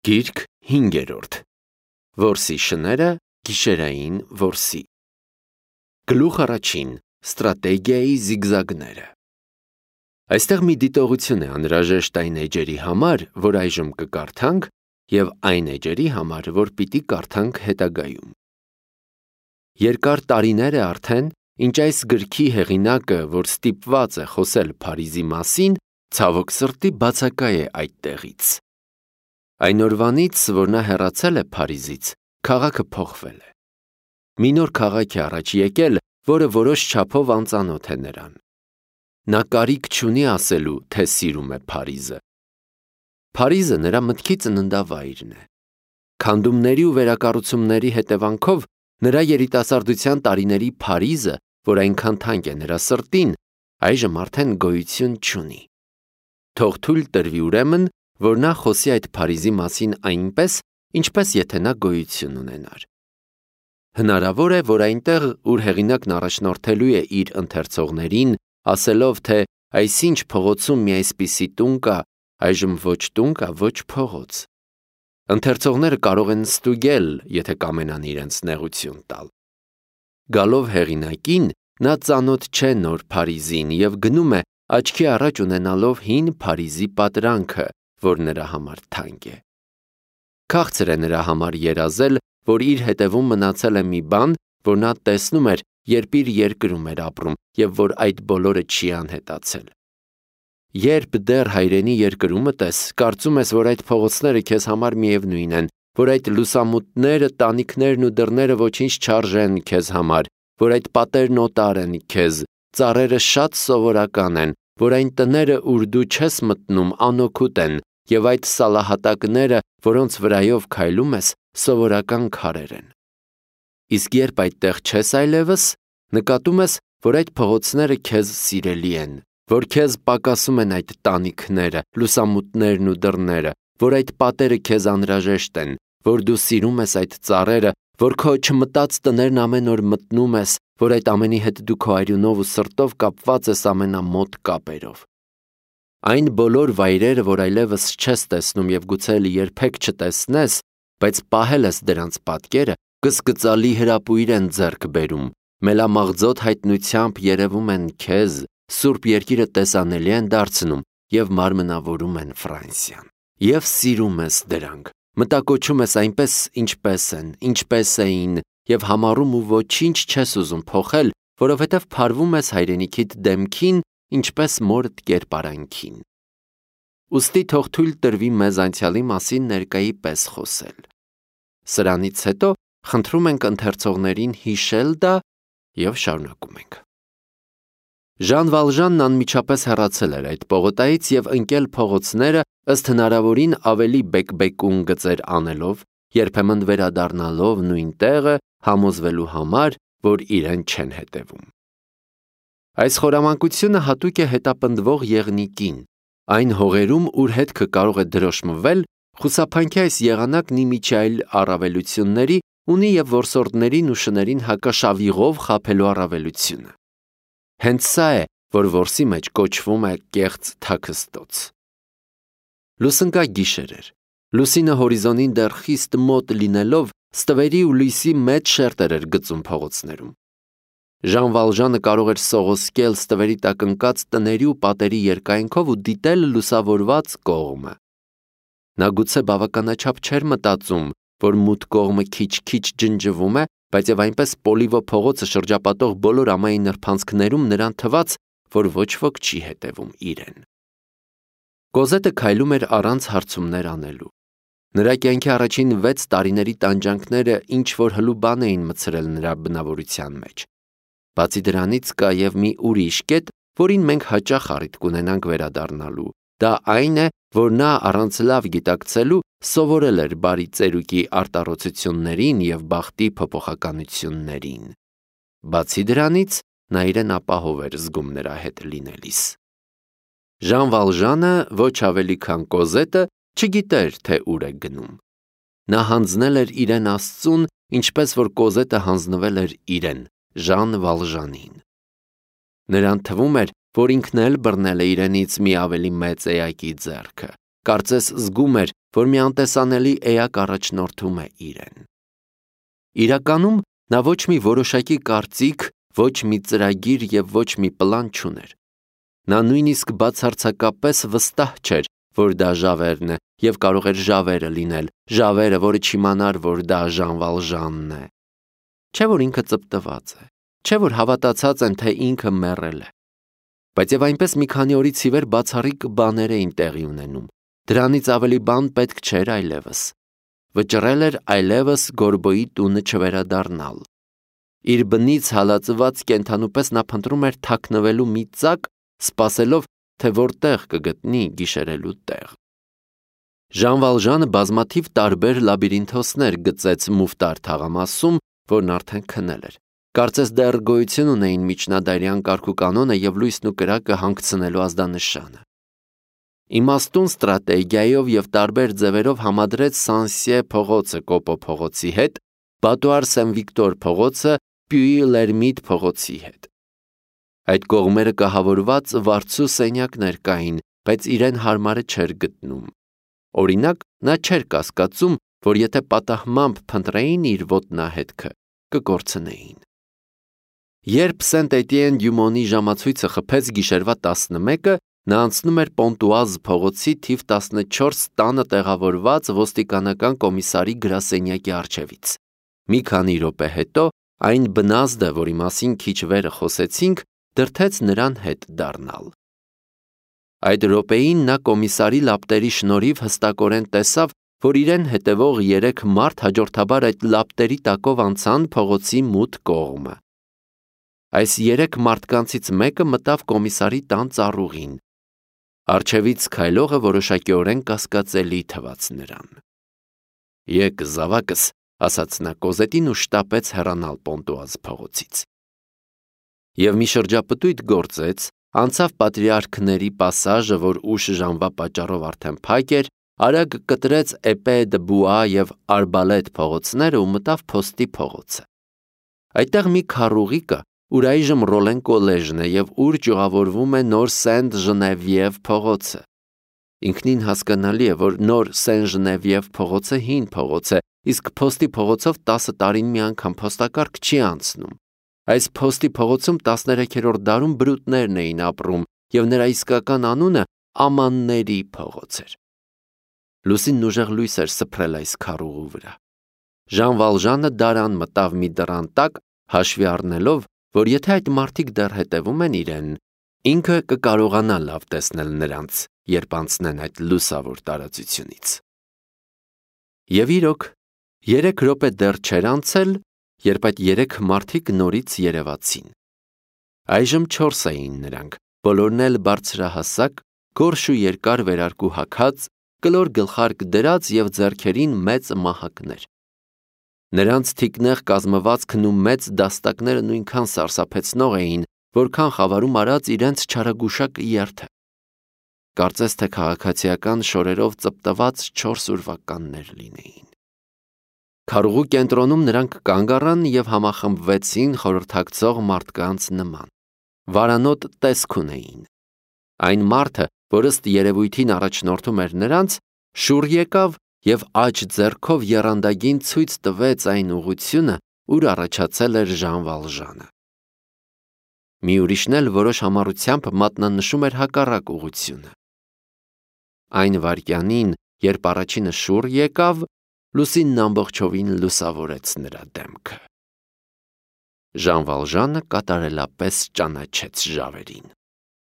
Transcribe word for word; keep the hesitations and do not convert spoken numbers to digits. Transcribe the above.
Գիրք հինգերորդ Որսի շները գիշերային որսի Գլուխ առաջին Ստրատեգիայի զիգզագները Այստեղ մի դիտողություն է անհրաժեշտ այն էջերի համար, որ այժմ կկարդանք, և այն էջերի համար, որ պիտի կարդանք հետագայում։ Երկար տարիներ է արդեն, ինչ այս գրքի հեղինակը, որ ստիպված է խոսել Փարիզի մասին, ցավոք սրտի բացակայ է այդ տեղից։ Այն օրվանից, որ նա հեռացել է Փարիզից, քաղաքը փոխվել է։ Մի նոր քաղաք է առաջ եկել, որը որոշ չափով անծանոթ է նրան։ Նա կարիք չունի ասելու, թե սիրում է Փարիզը։ Փարիզը նրա մտքի ծննդավայրն է։ Քանդումների ու վերակառուցումների հետևանքով նրա երիտասարդության տարիների Փարիզը, որ այնքան թանկ է նրա սրտին, այժմ արդեն գոյություն չունի։ Թող թույլ տրվի ուրեմն, որ նա խոսի այդ Փարիզի մասին այնպես, ինչպես եթե նա գոյություն ունենար։ Հնարավոր է, որ այնտեղ, ուր հեղինակն առաջնորդելու է իր ընթերցողներին, ասելով, թե այսինչ փողոցում մի այսպիսի տուն կա, այժմ ոչ տուն կա, ոչ փողոց։ Ընթերցողները կարող են ստուգել, եթե կամենան իրենց նեղություն տալ։ Գալով հեղինակին, նա ծանոթ չէ նոր Փարիզին և գնում է, աչքի առաջ ունենալով հին Փարիզի պատրանքը, որ նրա համար թանկ է։ Քաղցր է նրա համար երազել, որ իր հետևում մնացել է մի բան, որ նա տեսնում էր, երբ իր երկրում էր ապրում, և որ այդ բոլորը չի անհետացել։ Երբ դեռ հայրենի երկրումդ ես, կարծում ես, որ այդ փողոցները քեզ համար միևնույն են, որ այդ լուսամուտները, տանիքներն ու դռները ոչինչ չարժեն քեզ համար, որ այդ պատերն օտար են քեզ, ծառերը շատ սովորական են, որ այն տները, ուր դու չես մտնում, անօգուտ են, և այդ սալահատակները, որոնց վրայով քայլում ես, սովորական քարեր են։ Իսկ երբ այդտեղ չես այլևս, նկատում ես, որ այդ փողոցները քեզ սիրելի են, որ քեզ պակասում են այդ տանիքները, լուսամուտներն ու դռները, որ այդ պատերը քեզ անհրաժեշտ են, որ դու սիրում ես այդ ծառերը, որ քո չմտած տներն ամեն օր մտնում ես, որ այդ ամենի հետ դու քո արյունով ու սրտով կապված ես ամենամոտ կապերով։ Այն բոլոր վայրերը, որ այլևս չես տեսնում և գուցե երբեք չտեսնես, բայց պահել ես դրանց պատկերը, կսկծալի հրապույր են ձեռք բերում, մելամաղձոտ հայտնությամբ երևում են քեզ, Սուրբ Երկիրը տեսանելի են դարձնում և մարմնավորում են Ֆրանսիան։ Եվ սիրում ես դրանք, մտակոչում ես այնպես, ինչպես են, ինչպես էին, և համառում ու ոչինչ չես ուզում փոխել, որովհետև փարվում ես հայրենիքիդ դեմքին, ինչպես մորդ կերպարանքին։ Ուստի թող թույլ տրվի մեզ անցյալի մասին ներկայի պես խոսել։ Սրանից հետո խնդրում ենք ընթերցողներին հիշել դա և շարունակում ենք։ Ժան Վալժանն անմիջապես հեռացել էր այդ պողոտայից և ընկել փողոցները ըստ հնարավորին ավելի բեկբեկուն գծեր անելով, երբեմն վերադառնալով նույն տեղը համոզվելու համար, որ իրեն չեն հետևում։ Այս խորամանկությունը հատուկ է հետապնդվող եղնիկին, այն հողերում, ուր հետքը կարող է դրոշմվել, խուսափանքի այս եղանակն իմիջիայլ առավելությունների ունի և որսորդներին ու շներին հակաշավիղով խաբելու առավելությունը։ Հենց սա է, որ որսի մեջ կոչվում է կեղծ թաքստոց։ Լուսնկա գիշեր էր։ Լուսինը հորիզոնին դեռ խիստ մոտ լինելով, ստվերի ու լույսի մեծ շերտեր էր գծում փողոցներում։ Ժան Վալժանը կարող էր սողոսկել ստվերի տակ ընկած տների ու պատերի երկայնքով ու դիտել լուսավորված կողմը։ Նա գուցե բավականաչափ չէր մտածում, որ մութ կողմը քիչ-քիչ ջնջվում է, բայց և այնպես Պոլիվո փողոցը շրջապատող բոլոր ամայի նրբանցքներում նրան թվաց, որ ոչ ոք չի հետևում իրեն։ Կոզետը քայլում էր առանց հարցումներ անելու։ Նրա կյանքի առաջին վեց տարիների տանջանքները ինչ-որ հլու բան էին մցրել նրա բնավորության մեջ։ Բացի դրանից կա և մի ուրիշ կետ, որին մենք հաճախ առիթ կունենանք վերադառնալու։ Դա այն է, որ նա առանց լավ գիտակցելու սովորել էր բարի ծերուկի արտառոցություններին և բախտի փոփոխականություններին։ Բացի դրանից, նա իրեն ապահով էր զգում նրա հետ լինելիս։ Ժան Վալժանը, ոչ ավելի քան Կոզետը, չգիտեր, թե ուր է գնում։ Նա հանձնել էր իրեն Աստծուն, ինչպես որ Կոզետը հանձնվել էր իրեն, Ժան Վալժանին։ Նրան թվում էր, որ ինքն էլ բռնել է իրենից մի ավելի մեծ էակի ձեռքը, Կարծես զգում էր, որ մի անտեսանելի էակ առաջնորդում է իրեն։ Իրականում նա ոչ մի որոշակի կարծիք, ոչ մի ծրագիր և ոչ մի պլան չուներ։ Նա նույնիսկ բացարձակապես վստահ չէր, որ դա Ժավերն է և կարող էր Ժավերը լինել, Ժավերը, որը չիմանար, որ դա Ժան Վալժանն է։ Չէ՞ որ ինքը ծպտված է, չէ՞ որ հավատացած են, թե ինքը մեռել է։ Բայց և այնպես մի քանի օրից ի վեր բացառիկ բաներ էին տեղի ունենում։ Դրանից ավելի բան պետք չէր այլևս։ Վճռել էր այլևս Գորբոյի տունը չվերադառնալ։ Իր բնից հալածված կենդանու պես նա փնտրում էր թաքնվելու մի ծակ, սպասելով, թե որտեղ կգտնի գիշերելու տեղ։ Ժան Վալժանը բազմաթիվ տարբեր լաբիրինթոսներ գծեց Մուֆտար թաղամասում, որն արդեն քնել էր։ Կարծես դեռ գոյություն ունեին միջնադարյան կարգուկանոնը և լույսն ու կրակը հանգցնելու ազդանշանը։ Իմաստուն ստրատեգիայով և տարբեր ձևերով համադրեց Սանսիե փողոցը Կոպո փողոցի հետ, Բատուար Սեն-Վիկտոր փողոցը Պյուի Լերմիտ փողոցի հետ։ Այդ կողմերը կահավորված վարձու սենյակներ կային, բայց իրեն հարմարը չէր գտնում։ Օրինակ, նա չէր կասկածում, որ եթե պատահմամբ փնտրեին իր ոտնահետքը, կկորցնեին։ Երբ Սենտ-Էտիեն-դյու-Մոնի ժամացույցը խփեց գիշերվա տասնմեկը, նա անցնում էր Պոնտուազ փողոցի թիվ տասնչորս տանը տեղավորված ոստիկանական կոմիսարի գրասենյակի առջևից։ Մի քանի րոպե հետո այն բնազդը, որի մասին քիչ վերը խոսեցինք, դրդեց նրան հետ դառնալ։ Այդ րոպեին նա կոմիսարի լապտերի շնորհիվ հստակորեն տեսավ, որ իրեն հետևող երեք մարդ հաջորդաբար այդ լապտերի տակով անցան փողոցի մութ կողմը։ Այս երեք մարդկանցից մեկը մտավ կոմիսարի տան ծառուղին։ Առջևից քայլողը որոշակիորեն կասկածելի թվաց նրան։ «Եկ զավակս», ասաց նա Կոզետին ու շտապեց հեռանալ Պոնտուազ փողոցից։ Եվ մի շրջապտույտ գործեց, անցավ Պատրիարքների պասաժը, որ ուշ ժամվա պատճառով արդեն փակ էր, արագ կտրեց Էպե դը Բուա և Արբալետ փողոցները ու մտավ Փոստի փողոցը։ Այդտեղ մի քառուղի կա, ուր այժմ Ռոլեն կոլեժն է և ուր ճյուղավորվում է նոր Սենտ Ժնևիև փողոցը։ Ինքնին հասկանալի է, որ նոր Սեն Ժնևիև փողոցը հին փողոց է, իսկ Փոստի փողոցով տասը տարին մի անգամ փոստակարգ չի անցնում։ Այս Փոստի փողոցում տասներեքերորդ դարում բրուտներն էին ապրում, և նրա իսկական անունը Ամանների փողոց էր։ Լուսինն ուժեղ լույս էր սփռել այս քառուղու վրա։ Ժան Վալժանը դարան մտավ մի դռան տակ, հաշվի առնելով, որ եթե այդ մարդիկ դեռ հետևում են իրեն, ինքը կկարողանա լավ տեսնել նրանց, երբ անցնեն այդ լուսավոր տարածությունից։ Եվ իրոք, երեք րոպե դեռ չէր անցել, երբ այդ երեք մարդիկ նորից երևացին։ Այժմ չորս էին նրանք, բոլորն էլ բարձրահասակ, գորշ ու երկար վերարկու հագած, կլոր գլխարկ դրած և ձեռքերին մեծ մահակներ։ Նրանց թիկնեղ կազմվածքն ու մեծ դաստակները նույնքան սարսափեցնող էին, որքան խավարում արած իրենց չարագուշակ երթը։ Կարծես թե քաղաքացիական շորերով ծպտված չորս ուրվականներ լինեին։ Քառուղու կենտրոնում նրանք կանգ առան և համախմբվեցին խորհրդակցող մարդկանց նման։ Վարանոտ տեսք ունեին։ Այն մարդը, որ ըստ երևույթին առաջնորդում էր նրանց, շուռ եկավ և աջ ձեռքով եռանդագին ցույց տվեց այն ուղղությունը, ուր առաջացել էր Ժան Վալժանը։ Մի ուրիշն էլ որոշ համառությամբ մատնանշում էր հակառակ ուղղությունը։ Այն վայրկյանին, երբ առաջինը շուռ եկավ, լուսինն ամբողջովին լուսավորեց նրա դեմքը։ Ժան Վալժանը կատարելապես ճանաչեց Ժավերին։